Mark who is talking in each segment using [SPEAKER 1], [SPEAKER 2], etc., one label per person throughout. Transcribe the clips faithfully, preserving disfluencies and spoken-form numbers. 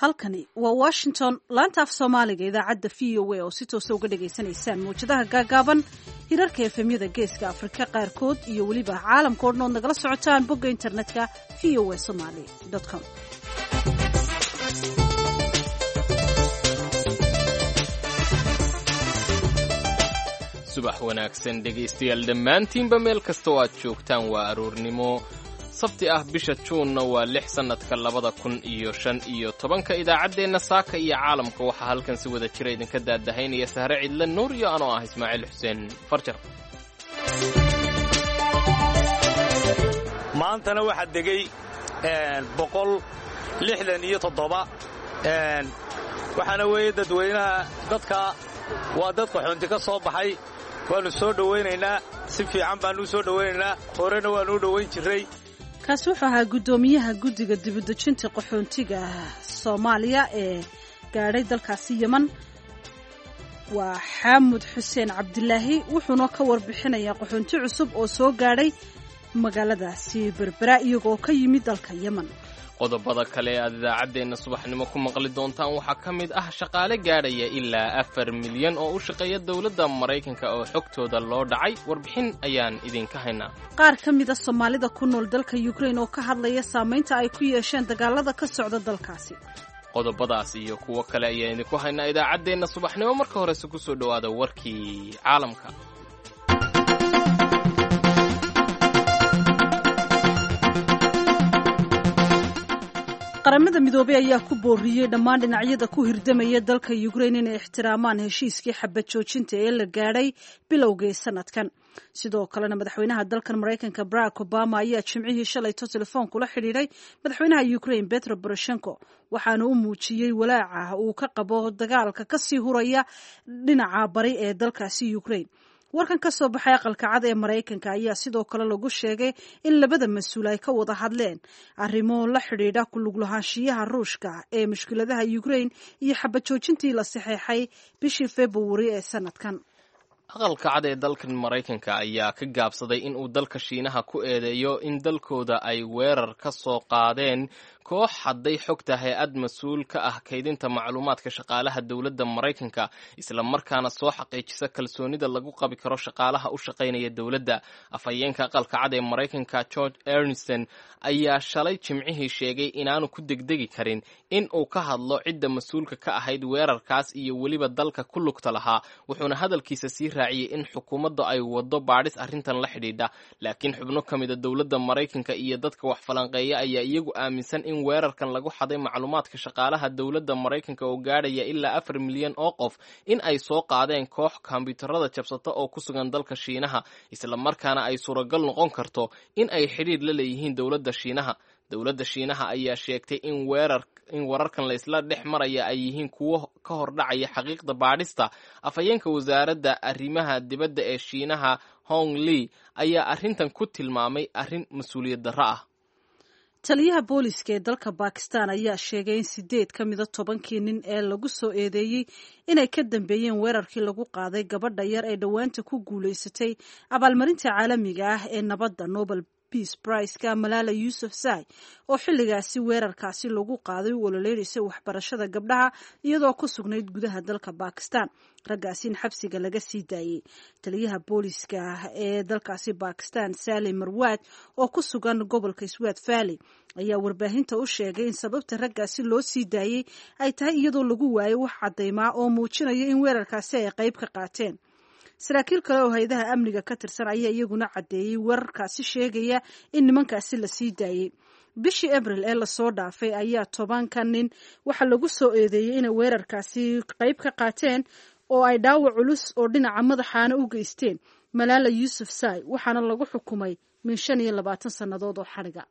[SPEAKER 1] Halkani waa Washington, laanta af Soomaaliga, idaacadda V O A oo si toosa uga dhagaysanaysaan mawjadaha gaagaaban, hirarka F M-yada Geeska Afrika qaarkood iyo weliba caalamka o dhan ood nagala socotaan bogga internetka V O A Somali com.
[SPEAKER 2] Subax wanaagsan, dhegaystayaal dhammaantiinba, meel kasta oo aad joogtaan. Waa aroornimo Sabti ah, bisha Juunna waa lix, sannadka labada kun iyo shan iyo tobanka. Idaacaddeenna saaka iyo caalamka waxaa halkan si wada jira idinka daadahaynaya Sahre Cidle Nuur iyo anoo ah Ismaaciil Xuseen Farjar.
[SPEAKER 3] Maantana waxaa degay boqol lixdan iyo toddoba. Waxaana weeye dadweynaha dadka waa dad qaxoonti ka soo baxay. Waannu soo dhowaynaynaa, si fiican baannu u soo dhowaynaynaa, horena waannu u dhowayn jirray.
[SPEAKER 1] Kaasi wuxuu ahaa guddoomiyaha guddiga dibudejinta qaxoontiga Soomaaliya ee gaadhay dalkaasi Yeman, waa Xaamud Xuseen Cabdilaahi. Wuxuuna ka warbixinayaa qaxoonti cusub oo soo gaadhay magaaladaasi Berbera, iyagoo ka yimid dalka Yeman.
[SPEAKER 2] Qodobada kale ee aad idaacaddeenna subaxnimo ku maqli doontaan waxaa ka mid ah shaqaale gaadhaya ilaa afar milyan oo u shaqeeya dowladda Maraykanka oo xogtooda loo dhacay. Warbixin ayaan idinka haynaa.
[SPEAKER 1] Qaar ka mid a Soomaalida ku nool dalka Ukrain oo ka hadlaya saamaynta ay ku yeesheen dagaalada ka socda dalkaasi.
[SPEAKER 2] Qodobadaas iyo kuwo kale ayaan idinku haynaa idaacaddeenna subaxnimo. Marka horese ku soo dhowaada warkii caalamka.
[SPEAKER 1] Qaramada Midoobey ayaa ku booriyey dhammaan dhinacyada ku hirdamaya dalka Ukrain inay ixtiraamaan heshiiskii xabad joojinta ee la gaadhay bilowgii sanadkan. Sidoo kalena, madaxweynaha dalkan Maraykanka Barack Obama ayaa Jimcihii shalayto telefoon kula xidhiidhay madaxweynaha Ukrain Petro Poroshenko, waxaana u muujiyey walaaca uu ka qabo dagaalka kasii huraya dhinaca bari ee dalkaasi Ukrain. Warkan ka soo baxay Aqalka Cad ee Maraykanka ayaa sidoo kale lagu sheegay in labada mas-uul ay ka wada hadleen arrimo la xidhiidha ku lug lahaanshiyaha Ruushka ee mushkiladaha Ukrain iyo xabad joojintii la saxeexay bishii Februari ee sanadkan.
[SPEAKER 2] Aqalka Cad ee dalkan Maraykanka ayaa ka gaabsaday in uu dalka Shiinaha ku eedeeyo in dalkooda ay weerar ka soo qaadeen koox hadday xogta hay-ad mas-uul ka ah kaydinta macluumaadka shaqaalaha dowladda Maraykanka, isla markaana soo xaqiijisa kalsoonida lagu qabi karo shaqaalaha u shaqaynaya dowladda. Afhayeenka Aqalka Cad ee Maraykanka George Ernsten ayaa shalay Jimcihii sheegay inaanu ku degdegi karin in uu ka hadlo cidda mas-uulka ka ahayd weerarkaas iyo weliba dalka ku lugta lahaa. Wuxuuna hadalkiisa sii raaciyey in xukuumadda ay waddo baadhis arrintan la xidhiidha. Laakiin xubno ka mida dowladda Maraykanka iyo dadka wax falanqeeya ayaa iyagu aaminsan in weerarkan lagu xaday macluumaadka shaqaalaha dowladda Maraykanka oo gaadhaya ilaa afar milyan oo qof in ay soo qaadeen koox kombiyuutarada jabsata oo ku sugan dalka Shiinaha, isla markaana ay suuragal noqon karto in ay xidhiidh la leeyihiin dowladda Shiinaha. Dowladda Shiinaha ayaa sheegtay in weerar in wararkan la isla dhex maraya ay yihiin kuwo ka hordhacaya xaqiiqda baadhista. Afhayeenka wasaaradda arrimaha dibadda ee Shiinaha Hong Li ayaa arrintan ku tilmaamay arrin mas-uuliyad darro ah.
[SPEAKER 1] Taliyaha booliska ee dalka Bakistan ayaa sheegay in sideed ka mida tobankii nin ee lagu soo eedeeyey inay ka dambeeyeen weerarkii lagu qaaday gabadha yar ee dhowaanta ku guulaysatay abaalmarinta caalamiga ah ee nabadda, Nobel Peace Prize-ka, Malala Yousafzai, oo xilligaasi weerarkaasi lagu qaaday u ololeynaysa waxbarashada gabdhaha iyadoo ku sugnayd gudaha dalka Bakistan, raggaasi in xabsiga laga sii daayey. Taliyaha booliska ee dalkaasi Bakistan Salim Marwaad oo ku sugan gobolka Swat Valley ayaa warbaahinta u sheegay in sababta raggaasi loo sii daayey ay tahay iyadoo lagu waayay wax caddaymaa oo muujinaya in weerarkaasi ay qayb ka qaateen. Saraakiil kale oo hay-adaha amniga ka tirsan ayaa iyaguna caddeeyey weerarkaasi, sheegaya in nimankaasi la sii daayey. Bishii Abril ee lasoo dhaafay ayaa tobanka nin waxaa lagu soo eedeeyey inay weerarkaasi qayb ka qaateen oo ay dhaawac culus oo dhinaca madaxaana u geysteen Malaala Yousafzai, waxaana lagu xukumay min shan iyo labaatan sannadood oo xadhiga.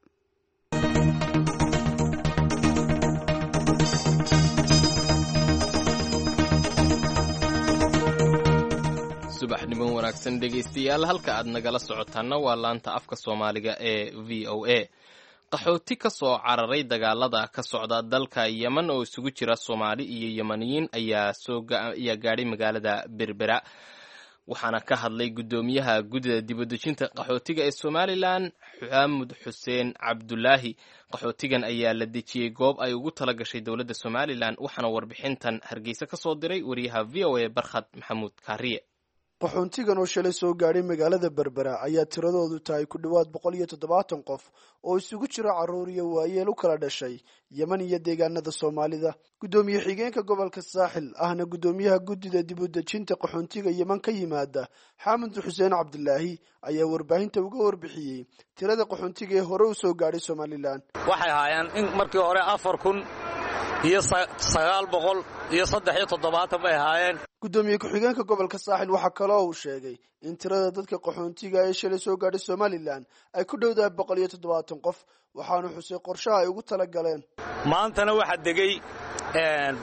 [SPEAKER 2] Subaxnimo wanaagsan, dhegaystayaal. Halka aad nagala socotaanna waa laanta afka Soomaaliga ee V O A. Qaxooti ka soo cararay dagaalada ka socda dalka Yemen oo isugu jira Soomaali iyo Yemaniyiin ayaa soo ayaa gaadhay magaalada Berbera. Waxaana ka hadlay guddoomiyaha guddida dibadejinta qaxootiga ee Somalilan, Xaamud Xuseen Cabdulaahi. Qaxootigan ayaa la dejiyey goob ay ugu tala gashay dowladda Somalilan, waxaana warbixintan Hargeysa ka soo diray wariyaha V O A Barkhad Maxamuud Kaariye.
[SPEAKER 4] Qaxoontigan oo shalay soo gaadhay magaalada Berbera ayaa tiradoodu tahay ku dhowaad boqol iyo toddobaatan qof oo isugu jira carruur iyo waayeel u kala dhashay Yemen iyo deegaanada Soomaalida. Guddoomiye xigeenka gobolka Saaxil ahna guddoomiyaha guddida dib u dejinta qaxoontiga Yemen ka yimaada, Xaamud Xuseen Cabdilaahi, ayaa warbaahinta uga warbixiyey tirada qaxoontiga ee hore u soo gaadhay Somalilan.
[SPEAKER 3] Waxay ahaayeen in markii hore afar kun iyo sagaal boqol iyo saddex iyo toddobaatan bay ahaayeen.
[SPEAKER 4] Guddoomiye ku-xigeenka gobolka Saaxil waxaa kaloo uu sheegay in tirada dadka qaxoontiga ee shalay soo gaadhay Somalilan ay ku dhowdahay boqol iyo toddobaatan qof, waxaanu xusay qorshaha ay ugu tala galeen.
[SPEAKER 3] Maantana waxaa degay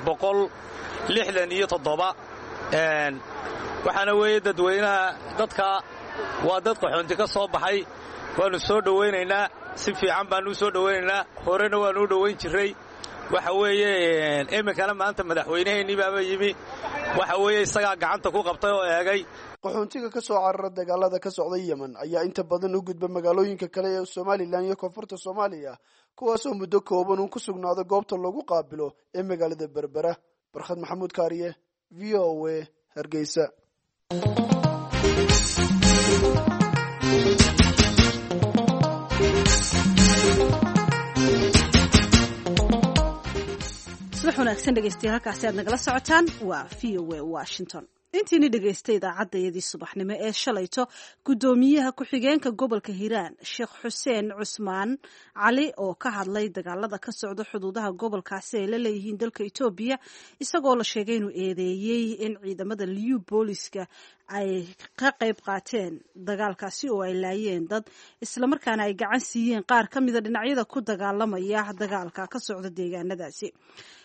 [SPEAKER 3] boqol lixdan iyo toddoba. Waxaana weeye dadweynaha dadka waa dad qaxoonti ka soo baxay. Waannu soo dhowaynaynaa, si fiican baannu u soo dhowaynaynaa, horena waannu u dhowayn jirray. Waxa weeye iminkana maanta madaxweynaheennii baaba yimi, waxa weeye isagaa gacanta ku qabtay oo eegay.
[SPEAKER 4] Qaxoontiga ka soo carara dagaalada ka socda Yemen ayaa inta badan u gudba magaalooyinka kale ee Somalilan iyo koonfurta Soomaaliya, kuwaasoo muddo kooban uun ku sugnaado goobta lagu qaabilo ee magaalada Berbera. Barkhad Maxamuud Kaariye, V O A, Hargeysa.
[SPEAKER 1] Subax wanaagsan dhegeystayaal, halkaasi aad nagala socotaan waa V O A Washington. Intiini dhegaystay idaacaddayadii subaxnimo ee shalayto, guddoomiyaha ku-xigeenka gobolka Hiiraan Sheekh Xuseen Cusmaan Cali oo ka hadlay dagaalada ka socda xuduudaha gobolkaasi ay la leeyihiin dalka Itoobiya, isagoo la sheegay inuu eedeeyey in ciidamada Liyu booliska ay ka qayb qaateen dagaalkaasi oo ay laayeen dad, islamarkaana ay gacan siiyeen qaar ka mida dhinacyada ku dagaalamaya dagaalka ka socda deegaanadaasi.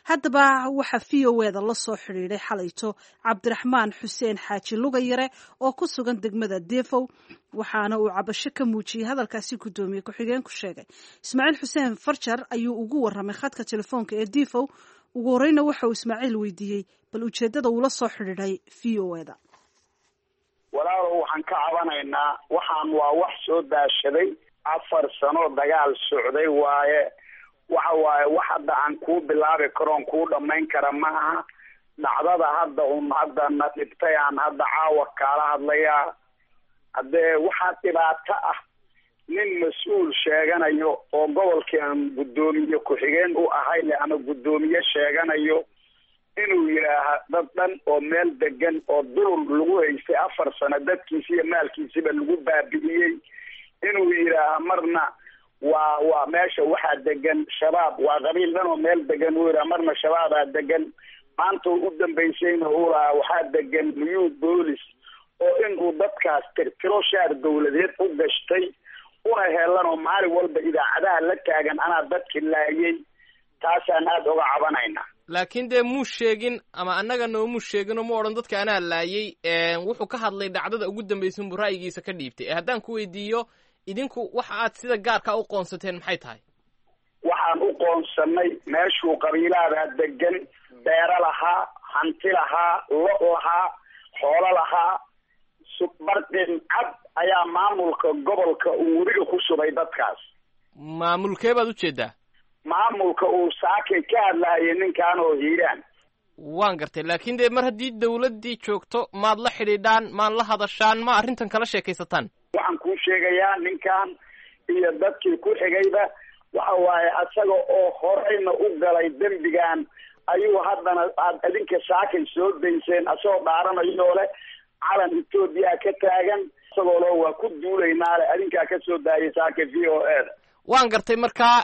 [SPEAKER 1] Haddaba waxaa V O eda la soo xidhiidhay xalayto Cabdiraxmaan Xuseen Xaaji Lugayare oo ku sugan degmada Defow, waxaana uu cabasho ka muujiyey hadalkaasi guddoomiye ku-xigeenku sheegay. Ismaaciil Xuseen Farjar ayuu ugu waramay khadka telefoonka ee Defow. Ugu horeyna waxa uu Ismaaciil weydiiyey bal ujeeddada uula soo xidhiidhay V O eda.
[SPEAKER 5] Walaalow, waxaan ka cabanaynaa, waxaan waa wax soo daashaday, afar sano dagaal socday waaye. Waxa waaye wax hadda aan kuu bilaabi karoon kuu dhammayn kara ma aha. Dhacdada hadda un hadda na dhibtay aan hadda caawa kaala hadlayaa. Haddee waxaa dhibaato ah nin mas-uul sheeganayo oo gobolkii aan guddoomiye ku-xigeen u ahay le ama guddoomiye sheeganayo inuu yidhaaha dad dhan oo meel degan oo dulul lagu haystay afar sano dadkiisi iyo maalkiisiba lagu baabi'iyey, inuu yidhaaha marna waa waa meesha waxaa degan shabaab, waa qabiil dhan oo meel degan uu yidhaha, marna shabaabaa degan. Maanta u dambaysayna uu lahaa waxaa degan new boolis, oo inuu dadkaas tirtiro shaar dawladeed u gashtay una helan oo maalin walba idaacadaha la taagan anaa dadki laayay. Taasaan aada uga cabanaynaa.
[SPEAKER 2] Laakiin dee muu sheegin ama annaga noomuu sheegin oo mu odhan dadka anaa laayay. Wuxuu ka hadlay dhacdada ugu dambaysa unbuu ra'yigiisa ka dhiibtay. Ee haddaan ku weydiiyo, idinku waxa aad sida gaarka u qoonsateen maxay tahay?
[SPEAKER 5] Waxaan u qoonsanay meeshuu qabiilaadaa degan, beero lahaa, hanti lahaa, lo' lahaa, xoolo lahaa. Barqin cad ayaa maamulka gobolka uu webiga ku shubay dadkaas.
[SPEAKER 2] Maamulkee baad ujeedaa?
[SPEAKER 5] Maamulka uu saakay ka hadlaayay ninkan oo Hiiraan.
[SPEAKER 2] Waan gartay, laakiin dee mar haddii dawladdii joogto maad la xidhiidhaan, maad la hadashaan, ma arrintan kala sheekaysataan?
[SPEAKER 5] Waxaan kuu sheegayaa ninkan iyo dadkii ku xigayba waxa waaye asaga oo horeyna u galay dembigan ayuu haddana aad idinka saakay soo dayseen asagoo dhaaranayoo leh calan Etoobiya ka taagan, isagoo loo waa ku duulaynaa leh, adinkaa ka soo daayay saakay V O A da.
[SPEAKER 2] Waan gartay. Markaa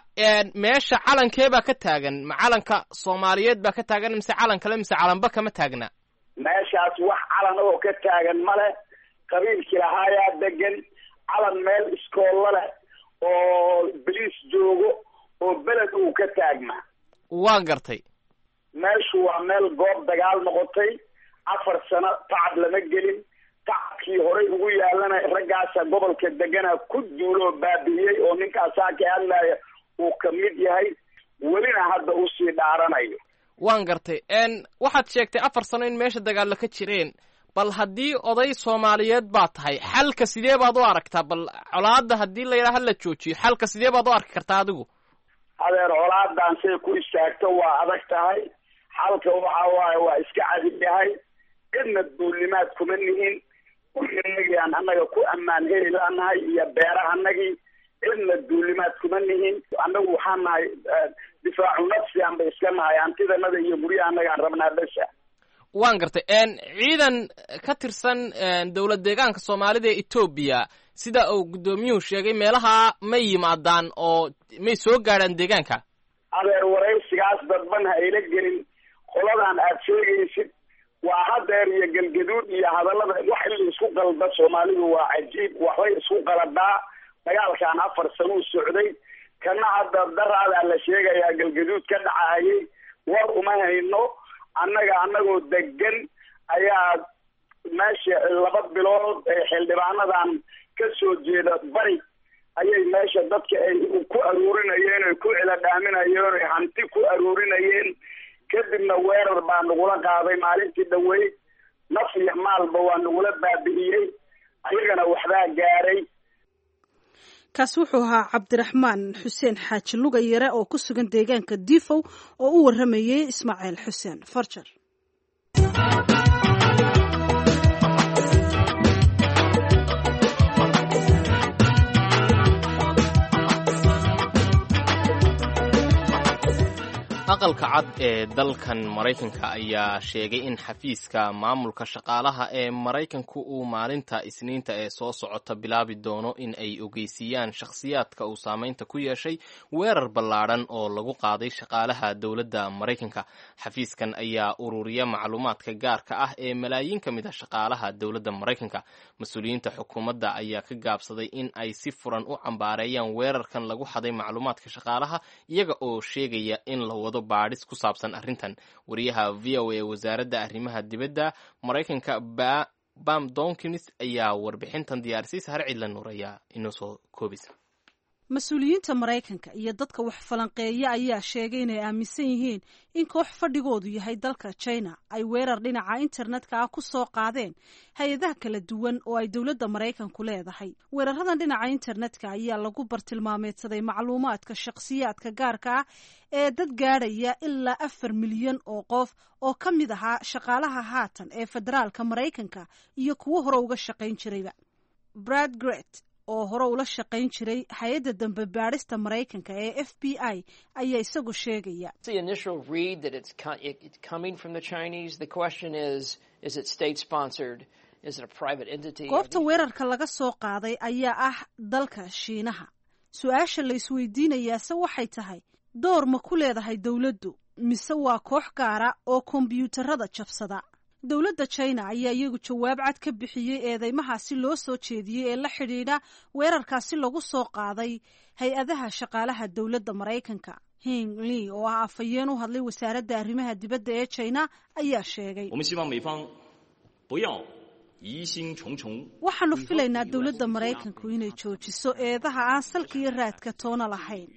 [SPEAKER 2] meesha calankee baa ka taagan? Ma calanka Soomaaliyeed baa ka taagan mise calan kale, mise calanba kama taagna?
[SPEAKER 5] Meeshaas wax calan oo ka taagan male. Qabiilkii lahaayaa degan, calan meel iskoolla leh oo boliis joogo oo beled uu ka taagmaa.
[SPEAKER 2] Waan gartay.
[SPEAKER 5] Meeshu waa meel goob dagaal noqotay, afar sano tacab lama gelin. Tacabkii horey ugu yaalana raggaasa gobolka degana ku duuloo baabi'iyey oo ninkaasaa ka hadlaya uu ka mid yahay, welina hadda usii dhaaranayo.
[SPEAKER 2] Waan gartay. Waxaad sheegtay afar sano in meesha dagaalla ka jireen. Bal haddii oday Soomaaliyeed baa tahay, xalka sidee baad u aragtaa? Bal colaadda haddii la yidhaha la joojiyo, xalka sidee baad u arki kartaa adigu?
[SPEAKER 5] Adeer, colaadan say ku istaagto waa adag tahay. Xalka waxa waaye waa iska cadig yahay. Cidna duulimaad kuma nihin. Guryanagii aan annaga ku ammaan heli laanahay iyo beerahanagii, cidna duulimaad kuma nihin. Annagu waxaan nahay difaacu nafsi aan bay iska nahay, hantidanada iyo guryaha annagaan rabnaa besa.
[SPEAKER 2] Waan gartay. Ciidan ka tirsan dowlad deegaanka Soomaalida ee Etoobiya, sida uu guddoomiyuhu sheegay, meelaha may yimaadaan oo may soo gaadhaan deegaanka?
[SPEAKER 5] Adeer, waraysigaas dadban ha ila gelin. Qoladan aad sheegaysid waa hadeer iyo Galgaduud iyo hadallada wax in la isku qalda. Soomaalidu waa cajiib, waxbay isku qaladaa. Dagaalkan afar sano u socday, kana hadda daraadaa la sheegayaa Galgaduud ka dhacayay. War uma hayno annaga. Annagoo degan ayaa meesha laba bilood ee xildhibaanadan ka soo jeeda bari ayay meesha dadka ay ku aruurinayeen, ay ku ciladhaaminayeen, ay hanti ku aruurinayeen. Kadibna weerar baa nagula qaaday maalintii dhaweyd. Naf iyo maalba waa nagula baabi'iyey, ayagana waxbaa gaaray.
[SPEAKER 1] Kaasi wuxuu ahaa Cabdiraxmaan Xuseen Xaaji Lugayare oo ku sugan deegaanka Difow oo u waramayey Ismaaciil Xuseen Farjar.
[SPEAKER 2] Aqalka Cad ee dalkan Maraykanka ayaa sheegay in xafiiska maamulka shaqaalaha ee Maraykanku uu maalinta Isniinta ee soo socota bilaabi doono in ay ogeysiiyaan shakhsiyaadka uu saameynta ku yeeshay weerar ballaadhan oo lagu qaaday shaqaalaha dowladda Maraykanka. Xafiiskan ayaa ururiya macluumaadka gaarka ah ee malaayiin ka mid a shaqaalaha dowladda Maraykanka. Mas-uuliyiinta xukuumadda ayaa ka gaabsaday in ay si furan u cambaareeyaan weerarkan lagu xaday macluumaadka shaqaalaha, iyaga oo sheegaya in la wado baadhis ku saabsan arrintan. Wariyaha V O A wasaaradda arrimaha dibadda Maraykanka Bam Donkins ayaa warbixintan diyaarisay. Har Cidla Nuur ayaa inoo soo koobisa.
[SPEAKER 1] Mas-uuliyiinta Maraykanka iyo dadka wax falanqeeya ayaa sheegay inay aaminsan yihiin in koox fadhigoodu yahay dalka China ay weerar dhinaca internetka ah ku soo qaadeen hay-adaha kala duwan oo ay dowladda Maraykanku leedahay. Weeraradan dhinaca internetka ayaa lagu bartilmaameedsaday macluumaadka shakhsiyaadka gaarka ah ee dad gaadhaya ilaa afar milyan oo qof oo ka mid ahaa shaqaalaha haatan ee federaalka Maraykanka iyo kuwo hore uga shaqayn jirayba. Brad Gret oo hore ula shaqayn jiray hay-adda dambe baadhista Maraykanka ee F B I ayaa isagu sheegaya: Goobta weerarka laga soo qaaday ayaa ah dalka Shiinaha. Su-aasha la isweydiinayaase waxay tahay, door ma ku leedahay dowladdu mise waa koox gaara oo kombyuutarada jabsada? Dowladda China ayaa iyagu jawaab cad ka bixiyey eedeymahaasi loo soo jeediyey ee la xidhiidha weerarkaasi lagu soo qaaday hay-adaha shaqaalaha dowladda Maraykanka. Hing Li oo ah afhayeen u hadlay wasaaradda arrimaha dibadda ee China ayaa sheegay: "Waxaanu filaynaa dowladda Maraykanku inay joojiso eedaha aan salka iyo raadka toona lahayn,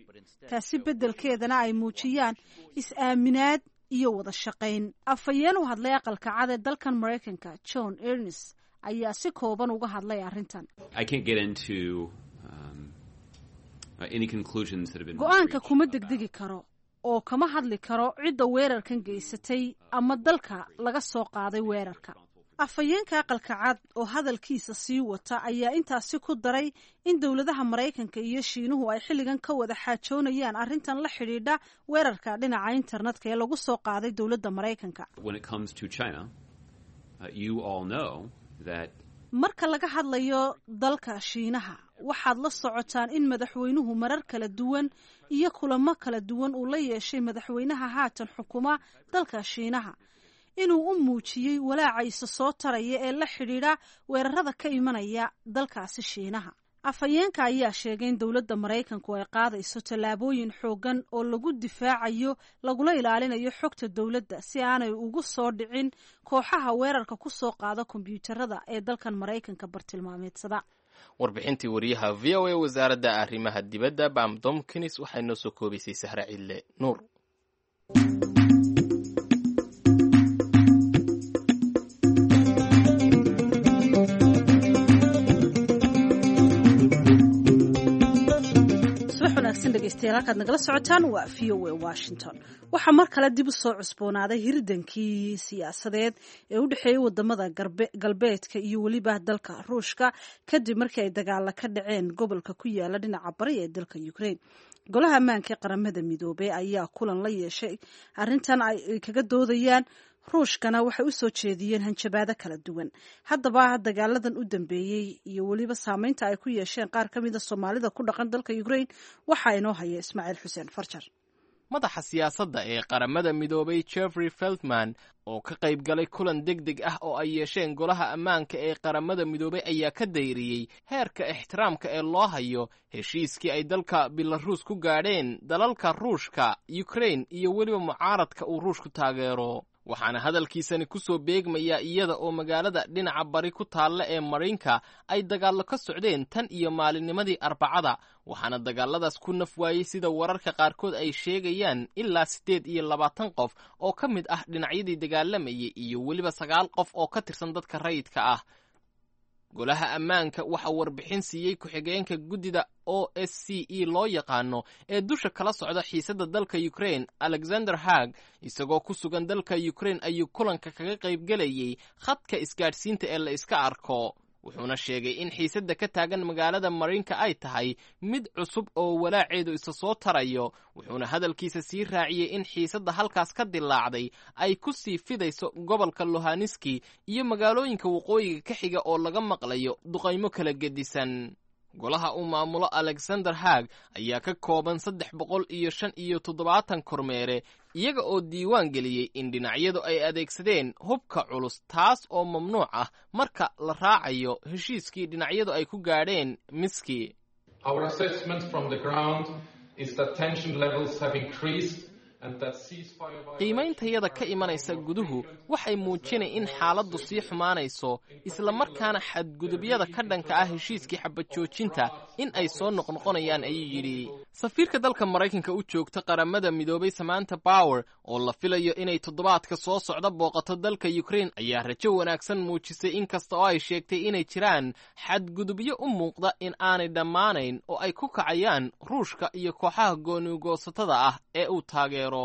[SPEAKER 1] taasi beddelkeedana ay muujiyaan is-aaminaad iyo wada shaqayn." Afhayeen u hadlay Aqalka Cad ee dalkan Maraykanka, John Ernest, ayaa si kooban uga hadlay arrintan: "Go-aanka kuma degdegi karo oo kama hadli karo cidda weerarkan geysatay ama dalka laga soo qaaday weerarka." Afhayeenka Aqalka Cad oo hadalkiisa sii wata ayaa intaasi ku daray in dowladaha Maraykanka iyo Shiinuhu ay xilligan ka wada xaajoonayaan arrintan la xidhiidha weerarka dhinaca internetka ee lagu soo qaaday dowladda Maraykanka. "Marka laga hadlayo dalka Shiinaha, waxaad la socotaan in madaxweynuhu marar kala duwan iyo kulamo kala duwan uu la yeeshay madaxweynaha haatan xukuma dalka Shiinaha, inuu u muujiyey walaaca isa soo taraya ee la xidhiidha weerarada ka imanaya dalkaasi Shiinaha." Afhayeenka ayaa sheegay in dowladda Maraykanku ay qaadayso tallaabooyin xooggan oo lagu difaacayo lagula ilaalinayo xogta dowladda si aanay ugu soo dhicin kooxaha weerarka ku soo qaada kombyuutarada ee dalkan Maraykanka bartilmaameedsada.
[SPEAKER 2] Warbixintii wariyaha V O A wasaaradda arrimaha dibadda Bam Domkins waxay noo soo koobaysay Sahre Cidle Nuur.
[SPEAKER 1] Wanaagsan dhegeystayaal, halkaad nagala socotaan waa V O A Washington. Waxaa mar kale dib u soo cusboonaaday hirdankii siyaasadeed ee u dhexeeyay wadamada galbeedka iyo weliba dalka Ruushka, kadib markii ay dagaala ka dhaceen gobolka ku yaala dhinaca bari ee dalka Ukraine. Golaha ammaanka ee Qaramada Midoobey ayaa kulan la yeeshay arrintan ay kaga doodayaan. Ruushkana waxay u soo jeediyeen hanjabaado kala duwan. Haddaba dagaaladan u dambeeyey iyo weliba saameynta ay ku yeesheen qaar ka mida Soomaalida ku dhaqan dalka Ukraine, waxaa inoo haya Ismaaciil Xuseen Farjar.
[SPEAKER 2] Madaxa siyaasadda ee Qaramada Midoobay Jeffrey Feltman oo ka qayb galay kulan deg deg ah oo ay yeesheen Golaha Ammaanka ee Qaramada Midoobay ayaa ka dayriyey heerka ixtiraamka ee loo hayo heshiiskii ay dalka Belaruus ku gaadheen dalalka Ruushka, Ukraine iyo weliba mucaaradka uu Ruushku taageero. Waxaana hadalkiisani ku soo beegmayaa iyada oo magaalada dhinaca bari ku taalla ee Mariinka ay dagaallo ka socdeen tan iyo maalinnimadii Arbacada. Waxaana dagaalladaas ku naf waayey, sida wararka qaarkood ay sheegayaan, ilaa siddeed iyo labaatan qof oo ka mid ah dhinacyadii dagaalamayay iyo weliba sagaal qof oo ka tirsan dadka rayidka ah. Golaha Ammaanka waxaa warbixin siiyey ku-xigeenka guddida O S C E loo yaqaano ee dusha kala socda xiisadda dalka Ukraine, Alexander Haag. Isagoo ku sugan dalka Ukraine ayuu kulanka kaga qaybgelayey khadka isgaadhsiinta ee la iska arko, wuxuuna sheegay in xiisadda ka taagan magaalada Mariinka ay tahay mid cusub oo walaaceedu isa soo tarayo. Wuxuuna hadalkiisa sii raaciyey in xiisadda halkaas ka dilaacday ay ku sii fidayso gobolka Luhaniski iyo magaalooyinka waqooyiga ka xiga oo laga maqlayo duqaymo kala gedisan. Golaha uu maamulo Alexander Haag ayaa ka kooban saddex boqol iyo shan iyo toddobaatan kormeere, iyaga oo diiwaan geliyey in dhinacyadu ay adeegsadeen hubka culus, taas oo mamnuuc ah marka la raacayo heshiiskii dhinacyadu ay ku gaadheen Miski.
[SPEAKER 6] Our assessment from the ground is that tension levels have increased and that ceasefire
[SPEAKER 2] Qiimayntayada ka imanaysa guduhu waxay muujinay in xaaladdu sii xumaanayso, isla markaana xadgudubyada ka dhanka ah heshiiskii xabad joojinta in ay soo noqnoqonayaan, ayuu yidhi. Safiirka dalka Maraykanka u joogta Qaramada Midoobay Samantha Power, oo la filayo inay toddobaadka soo socda booqato dalka Ukraine, ayaa rajo wanaagsan muujisay, inkasta oo ay sheegtay inay jiraan xadgudubyo u muuqda in aanay dhammaanayn oo ay ku kacayaan Ruushka iyo kooxaha goonigoosatada ah ee uu taageero.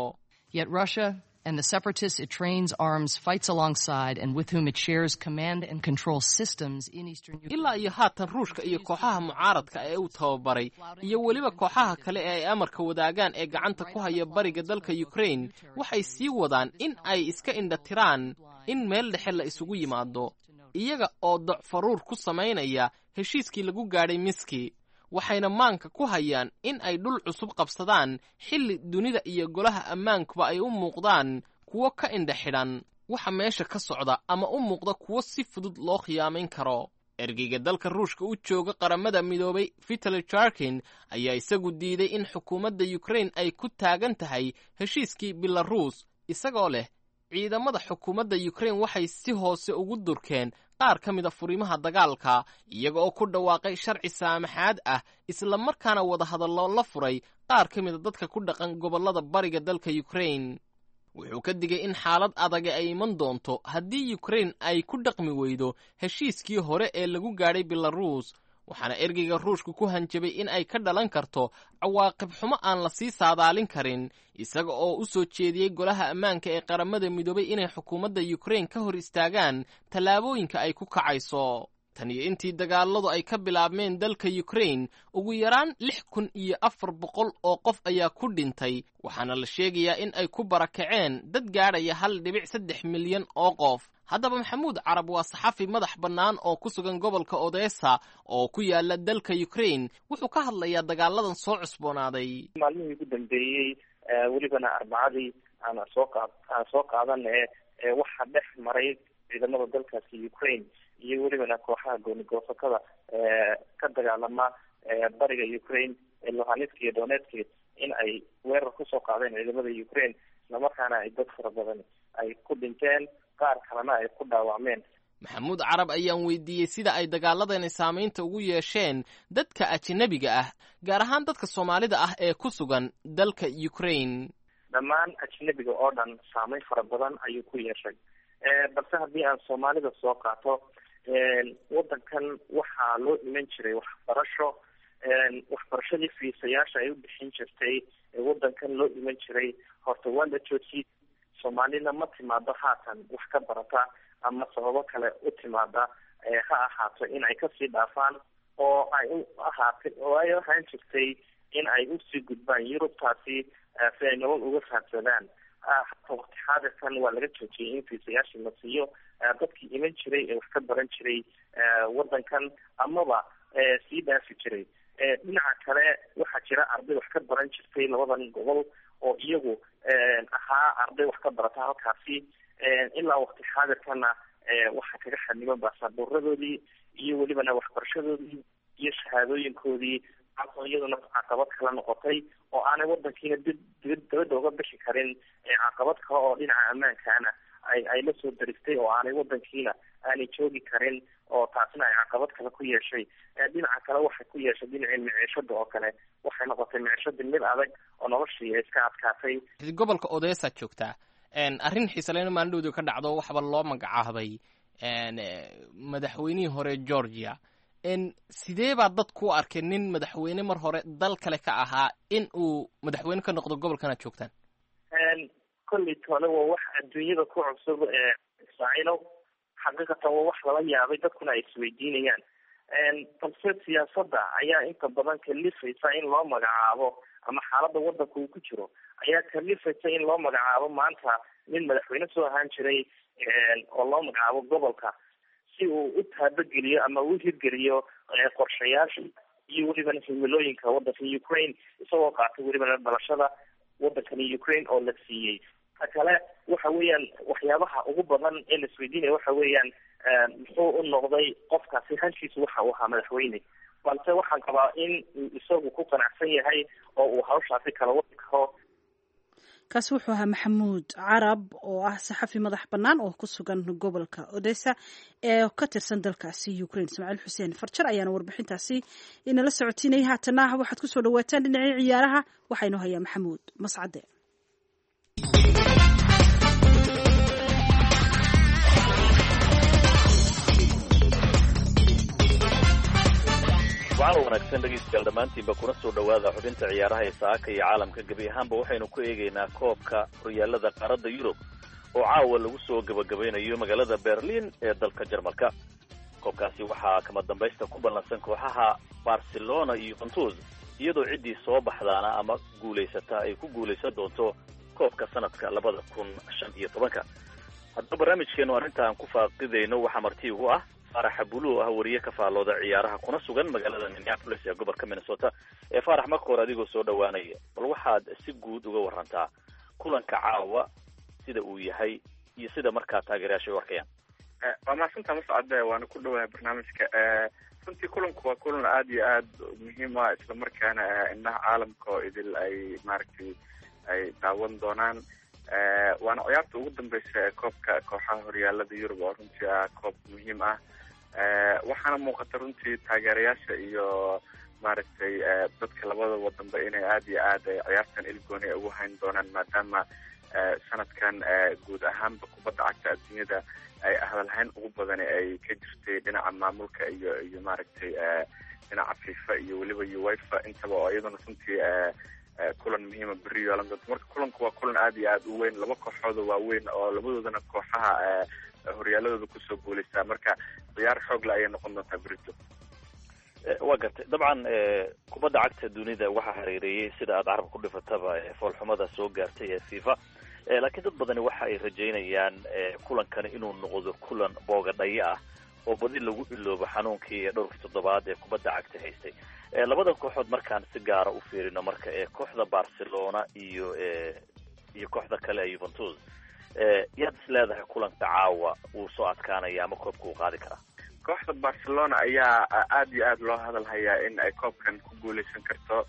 [SPEAKER 7] Yet Russia and the separatists it trains, arms, fights alongside, and with whom it shares command and control systems in eastern Ukraine.
[SPEAKER 2] Ilaa iyo haatan Ruushka iyo kooxaha mucaaradka ee uu tababaray iyo weliba kooxaha kale ee ay amarka wadaagaan ee gacanta ku haya bariga dalka Ukraine waxay sii wadaan in ay iska indhatiraan in meel dhexe la isugu yimaado, iyaga oo docfaruur ku samaynaya heshiiskii lagu gaadhay Miski, waxayna maanka ku hayaan in ay dhul cusub qabsadaan xilli dunida iyo Golaha Ammaankuba ay u muuqdaan kuwo ka indha xidhan waxa meesha ka socda ama u muuqda kuwo si fudud loo khiyaamayn karo. Ergeyga dalka Ruushka u jooga Qaramada Midoobay Vitali Churkin ayaa isagu diiday in xukuumadda Ukraine ay ku taagan tahay heshiiskii Belaruus, isagoo leh ciidamada xukuumadda Ukraine waxay si hoose ugu durkeen qaar ka mida furimaha dagaalka, iyaga oo ku dhawaaqay sharci saamaxaad ah, isla markaana wadahadallo la furay qaar ka mida dadka ku dhaqan gobollada bariga dalka Ukraine. Wuxuu ka digay in xaalad adage ay iman doonto haddii Ukraine ay ku dhaqmi weydo heshiiskii hore ee lagu gaadhay Belaruus. Waxaana ergeyga Ruushka ku hanjabay in ay ka dhalan karto cawaaqib xumo aan la sii saadaalin karin, isaga oo u soo jeediyey Golaha Ammaanka ee Qaramada Midoobay inay xukuumadda Ukraine ka hor istaagaan tallaabooyinka ay ku kacayso. Tan iyo intii dagaaladu ay ka bilaabmeen dalka Ukraine, ugu yaraan lix kun iyo afar boqol oo qof ayaa ku dhintay, waxaana la sheegayaa in ay ku barakaceen dad gaadhaya hal dhibic saddex milyan oo qof. Haddaba Maxamuud Carab waa saxafi madax bannaan oo ku sugan gobolka Odessa oo ku yaala dalka Ukraine. Wuxuu ka hadlayaa dagaaladan soo cusboonaaday.
[SPEAKER 8] Maalmihii ugu dambeeyey, welibana Arbacadii aan soo qaad aan soo qaadan ee waxaa dhex maray ciidamada dalkaasi Ukraine iyo welibana kooxaha goonigoosatada ka dagaalama bariga Ukraine ee Luhansk iyo Donetsk in ay weerar kusoo qaadeen ciidamada Ukraine, islamarkaana ay dad fara badan ay ku dhinteen, qaar kalena ay ku dhaawacmeen.
[SPEAKER 2] Maxamuud Carab ayaan weydiiyey sida ay dagaaladani saamaynta ugu yeesheen dadka ajanabiga ah, gaar ahaan dadka Soomaalida ah ee ku sugan dalka Ukraine.
[SPEAKER 8] Dhammaan ajnabiga oo dhan saameyn fara badan ayuu ku yeeshay, balse haddii aan Soomaalida soo qaato, wadankan waxaa loo iman jiray waxbarasho, Waxbarashadii fiisayaasha ay u bixin jirtay ee wadankan loo iman jiray horta waa la joojiyey. Soomaalina ma timaado haatan wax ka barata ama sababo kale u timaada, ha ahaato in ay kasii dhaafaan oo ay u ahaatay oo ay ahaan jirtay in ay usii gudbaan Yurubtaasi si ay nolol uga fahamsadaan. Hata waqti xaadirkan waa laga joojiyey in fiisayaashii la siiyo dadkii iman jiray ee wax ka baran jiray wadankan amaba sii dhaafi jiray. Dhinaca kale waxaa jira arday wax ka baran jirtay labadan gobol oo iyagu ahaa arday wax ka barata halkaasi. Ilaa waqti xaadirkana waxaa kaga xaniban baasaboorradoodii iyo welibana waxbarashadoodii iyo shahaadooyinkoodii, taasoo iyaduna caqabad kala noqotay oo aanay wadankiina dib dib dabadda uga bixi karin. Caqabad kale oo dhinaca ammaankaana ay ay la soo daristay oo aanay wadankiina aanay joogi karin, oo taasna ay caqabad kale ku yeeshay. Dhinaca kale waxay ku yeeshay dhinacii miciishada oo kale, waxay noqotay miciishadii mid adag oo noloshii ay iska adkaatay.
[SPEAKER 2] Gobolka Odessa joogtaa, arrin xiisaleyna maalin ka dhacdo waxba loo magacaabay madaxweynihii hore Georgia. Sidee baa dadku u arkay nin madaxweyne mar hore dal kale ka ahaa in uu madaxweyne ka noqdo gobolkan aad joogtaan?
[SPEAKER 8] Kolley tole waa wax adduunyada ku cusub ismaaciilow, xaqiiqatan waa wax lala yaabay, dadkuna ay isweydiinayaan. Balse siyaasadda ayaa inta badan kalifaysa in loo magacaabo, ama xaaladda wadanka uu ku jiro ayaa kalifaysa in loo magacaabo maanta nin madaxweyne soo ahaan jiray oo loo magacaabo gobolka si uu u taabageliyo ama u hirgeliyo qorshayaasha iyo welibana himilooyinka wadanka Ukraine, isagoo qaatay welibana dhalashada wadankani Ukraine oo la siiyey. Ta kale waxa weeyaan waxyaabaha ugu badan ee la isweydiinaya waxa weeyaan muxuu u noqday qofkaasi hankiisu waxa uu ahaa madaxweyne. Balse waxaan qabaa in uu isagu ku qanacsan yahay oo uu hawshaasi kala wadi karo.
[SPEAKER 1] Kaasi wuxuu ahaa Maxamuud Carab oo ah saxafi madax bannaan oo ku sugan gobolka Odessa ee ka tirsan dalkaasi Ukraine. Ismaaciil Xuseen Farjar ayaana warbixintaasi inala socotiinayay. Haatana waxaad ku soo dhawaataan dhinacii ciyaaraha, waxaynu hayaa Maxamuud Mascade.
[SPEAKER 9] Wacan wanaagsan dhegaystayaal dhammaantiinba, kuna soo dhowaada xubinta ciyaaraha ee saaka iyo caalamka. Gebi ahaanba waxaynu ku eegaynaa koobka horyaalada qaaradda Yurub oo caawa lagu soo gebagabaynayo magaalada Berlin ee dalka Jarmalka. Koobkaasi waxaa kama dambaysta ku ballansan kooxaha Barcelona iyo Juventus, iyadoo ciddii soo baxdaana ama guulaysata ay ku guulaysan doonto koobka sanadka labada kun shan iyo tobanka. Haddaba barnaamijkeenu arrintaan ku faaqidayno waxaa marti ugu ah Faarax Buluw, ah wariye ka faallooda ciyaaraha kuna sugan magaalada Minneapolis ee gobolka Minnesota. Ee Faarax, marka hore adigoo soo dhowaanaya, bal waxaad si guud uga warantaa kulanka caawa sida uu yahay iyo sida markaa taageerayaasha u arkayaan.
[SPEAKER 10] Waa mahadsantaa Mascade, waana ku dhowahay barnaamijka. Runtii kulanku waa kulan aada iyo aada muhiim ah, islamarkaana indhaha caalamka oo idil ay maaragtay ay daawan doonaan. Waana ciyaarta ugu dambeysa ee koobka kooxaha horyaalada Yurub oo runtii ah koob muhiim ah. Waxaana muuqata runtii taageerayaasha iyo maaragtay dadka labada wadanba inay aada iyo aad ciyaartan ilgooni ay ugu hayn doonaan, maadaama sanadkan guud ahaanba kubadda cagta adduunyada ay hadalhayn ugu badan ay ka jirtay dhinaca maamulka iyo iyo maaragtay dhinaca FIFA iyo weliba UEFA intaba, oo iyaduna runtii kulan muhiima beri yeelan doonto. Marka kulanku waa kulan aada iyo aada u weyn, laba kooxooda waaweyn oo labadoodana kooxaha horyaaladooda kusoo guulaystaa, marka ciyaar xoogle ayay noqon doontaa berito.
[SPEAKER 9] Waa gartay. Dabcan kubadda cagta dunida waxaa hareereeyey sida aada carab ku dhifataba foolxumada soo gaartay ee FIFA, laakiin dad badani waxa ay rajaynayaan kulankani inuu noqdo kulan boogadhayo ah oo badi lagu iloobo xanuunkii ee dhowrkii toddobaad ee kubadda cagta haystay. Labadan kooxood markaan si gaara u fiirino, marka ee kooxda Barcelona iyo iyo kooxda kale ee Juventus, yaad is leedahay kulanka caawa wuu soo adkaanaya ama koobka uu qaadi karaa?
[SPEAKER 10] Kooxda Barcelona ayaa aada iyo aada loo hadal hayaa in ay koobkan ku guuleysan karto,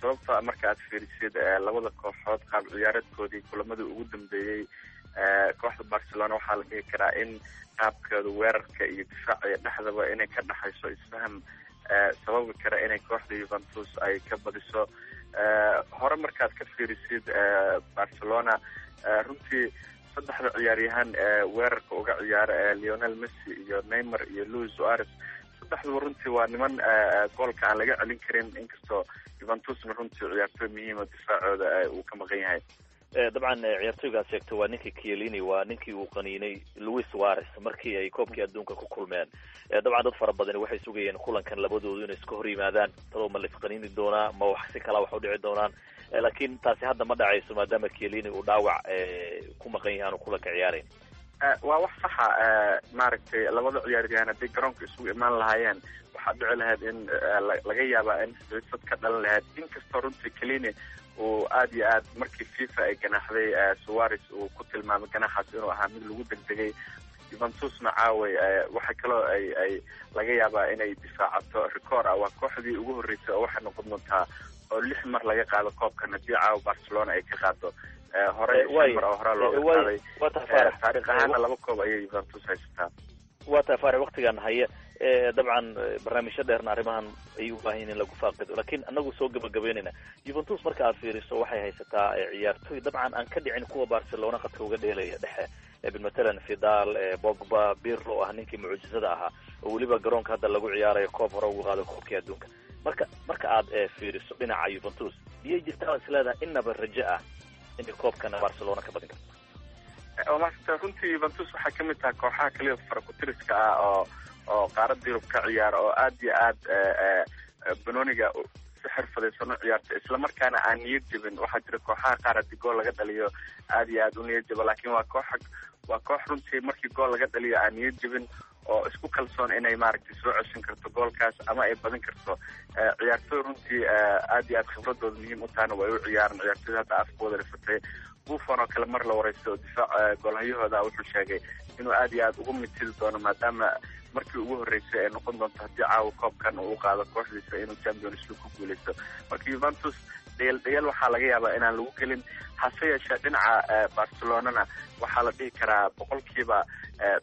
[SPEAKER 10] sababta marka aad fiirisid labada kooxood qaab ciyaareedkoodii kulamadii ugu dambeeyey, kooxda Barcelona waxaa la dhihi karaa in qaabkeedu weerarka iyo difaaca iyo dhexdaba inay ka dhexayso isfaham sababi kara inay kooxda Juventus ay ka badiso. Hore markaad ka fiirisid Barcelona runtii saddexda ciyaaryahan ee weerarka uga ciyaara ee Lionel Messi iyo Neymar iyo Luis Suarez, Saddexduba runtii waa niman goolka aan laga celin karin, inkastoo Juventusna runtii ciyaartooy muhiima difaacooda uu ka maqan yahay.
[SPEAKER 9] Dabcan ciyaartooygaad sheegtay waa ninkii Chiellini, waa ninkii uu qaniinay Luis Suarez markii ay koobkii adduunka ku kulmeen. Dabcan dad fara badani waxay sugayeen kulankan labadoodu inay iska hor yimaadaan, tadoo ma la isqaniini doonaa, ma wax si kalaa wax u dhici doonaan, laakiin taasi hadda ma dhacayso maadaama Chiellini uu dhaawac ku maqan yahay aanu kulanka ciyaarayn.
[SPEAKER 10] Waa wax saxa, maaragtay labada ciyaaryahan hadday garoonka isugu imaan lahaayeen waxaa dhici lahayd in laga yaabaa in xiisad ka dhalan lahayd, inkastoo runtii Chiellini uu aad iyo aad markii FIFA ay ganaaxday Suarez uu ku tilmaamay ganaaxaas inuu ahaa mid lagu degdegay. Juventusna caaway waxa kaloo ay ay laga yaabaa inay difaacato record ah, waa kooxdii ugu horreysay oo waxay noqon doontaa oo lix mar laga qaado koobkan haddii caawa Barcelona ay ka qaado. Hore shan mar oo horaa looga qaaday, taariikh ahaana laba koob ayay Juventus haysataa.
[SPEAKER 9] Waa tahay Faarax, waktigan haya dabcan barnaamijyo dheerna arrimahan ay u baahan yihin in lagu faaqido, laakiin anagu soo gabagabeynayna. Juventus marka aad fiiriso waxay haysataa ciyaartooy dabcan aan ka dhicin kuwa Barcelona qadka uga dheelaya dhexe, matalan Vidal, Pogba, Pirlo oo ah ninkii mucjisada ahaa oo weliba garoonka hadda lagu ciyaarayo koob hore ugu qaado koobkii adduunka. Marka marka aad fiiriso dhinaca Juventus, miyay jirtaa is leedahay inaba rajo ah inay koobkana Barcelona ka badin karto?
[SPEAKER 10] Waa maasanta, runtii Juventus waxay kamid tahay kooxaha kaliya farakutiriska ah oo oo qaaradda Yurub ka ciyaara oo aad iyo aad banooniga si xirfadaysan u ciyaarta, islamarkaana aan niyad jebin. Waxaa jira kooxaha qaar haddii gool laga dhaliyo aad iyo aad u niyad jeba, laakiin waa koox waa koox runtii markii gool laga dhaliyo aan niyad jebin oo isku kalsoon inay maaragtay soo ceshan karto goolkaas ama ay badin karto. Ciyaartooy runtii aad iyo aad khibradooda muhiim u tahana way u ciyaaran ciyaartooyda hadda afkooda rifatay. Buffon oo kale mar la wareystay oo difaac goolhayahooda wuxuu sheegay inuu aad iyo aad ugu mitidi doono maadaama markii ugu horreysay ay noqon doonto haddii caawa koobkan uu u qaado kooxdiisa inuu Champions League ku guuleysto. Marka Juventus dhayal dhayal waxaa laga yaabaa inaan lagu gelin, hase yeeshee dhinaca Barcelonana waxaa la dhihi karaa boqolkiiba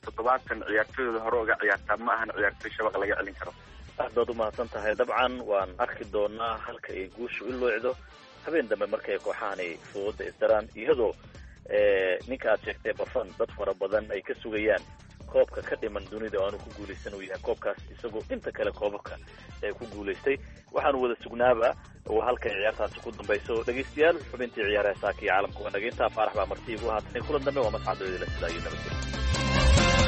[SPEAKER 10] toddobaatan ciyaartooydooda hore uga ciyaartaa, ma ahan ciyaartooy shabaq laga celin karo.
[SPEAKER 9] Aad baad umahadsan tahay. Dabcan waan arki doonaa halka ay guushu u loocdo habeen dambe markay kooxahani fooda isdaraan, iyadoo ninka aad sheegtay Buffon dad fara badan ay ka sugayaan koobka ka dhiman dunida oo aanu ku guulaysan uu yahay koobkaas, isagoo inta kale koobabka ee ku guulaystay. Waxaanu wada sugnaaba oo halkay ciyaartaasi ku dambayso. Dhegaystayaal, xubintii ciyaaraha saaka iyo caalamka waa naga intaa. Faarax baa marti igu haatan, kulan dambe waa mascadooda la sidaayo nabadgelyo.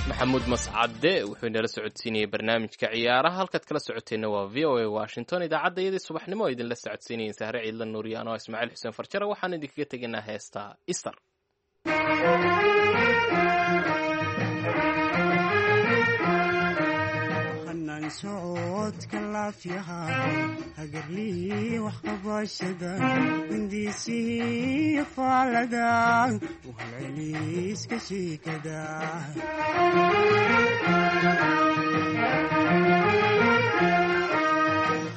[SPEAKER 2] Maxamuud Mascade wuxuu inala socodsiinayay barnaamijka ciyaaraha. Halkaad kala socoteenna waa V O A Washington, idaacadda iyadii subaxnimo oo idinla socodsiinayeen Sahre Ciidla Nuuriyaan oo Ismaaciil Xuseen Farjare. Waxaan idinkaga tegaynaa heesta Istar.
[SPEAKER 11] Socodka laafyaha hagarlii wax qabashada hindiisihii faalada uhalceliiska shiikada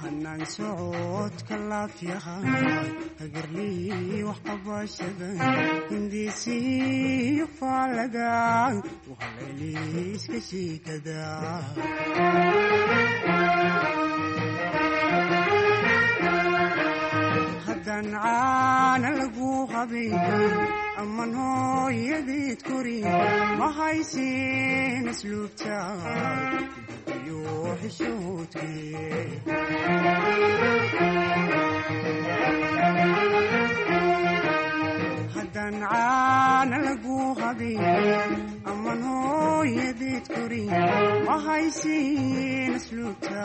[SPEAKER 11] hanaan socodka laafyaha hagarlii wax qabashada hindiisihii faalada uhalceliiska shiikada haddaan caana lagu qabin aman hooyadeed korin ma haysin asluubta iyo xishoodkii haddaan caana lagu qabin aman hooyadeed korin ma haysin asluubta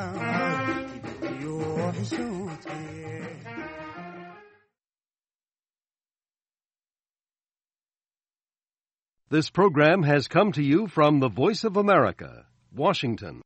[SPEAKER 11] iyo xishoodkii.
[SPEAKER 12] This program has come to you from the Voice of America, Washington.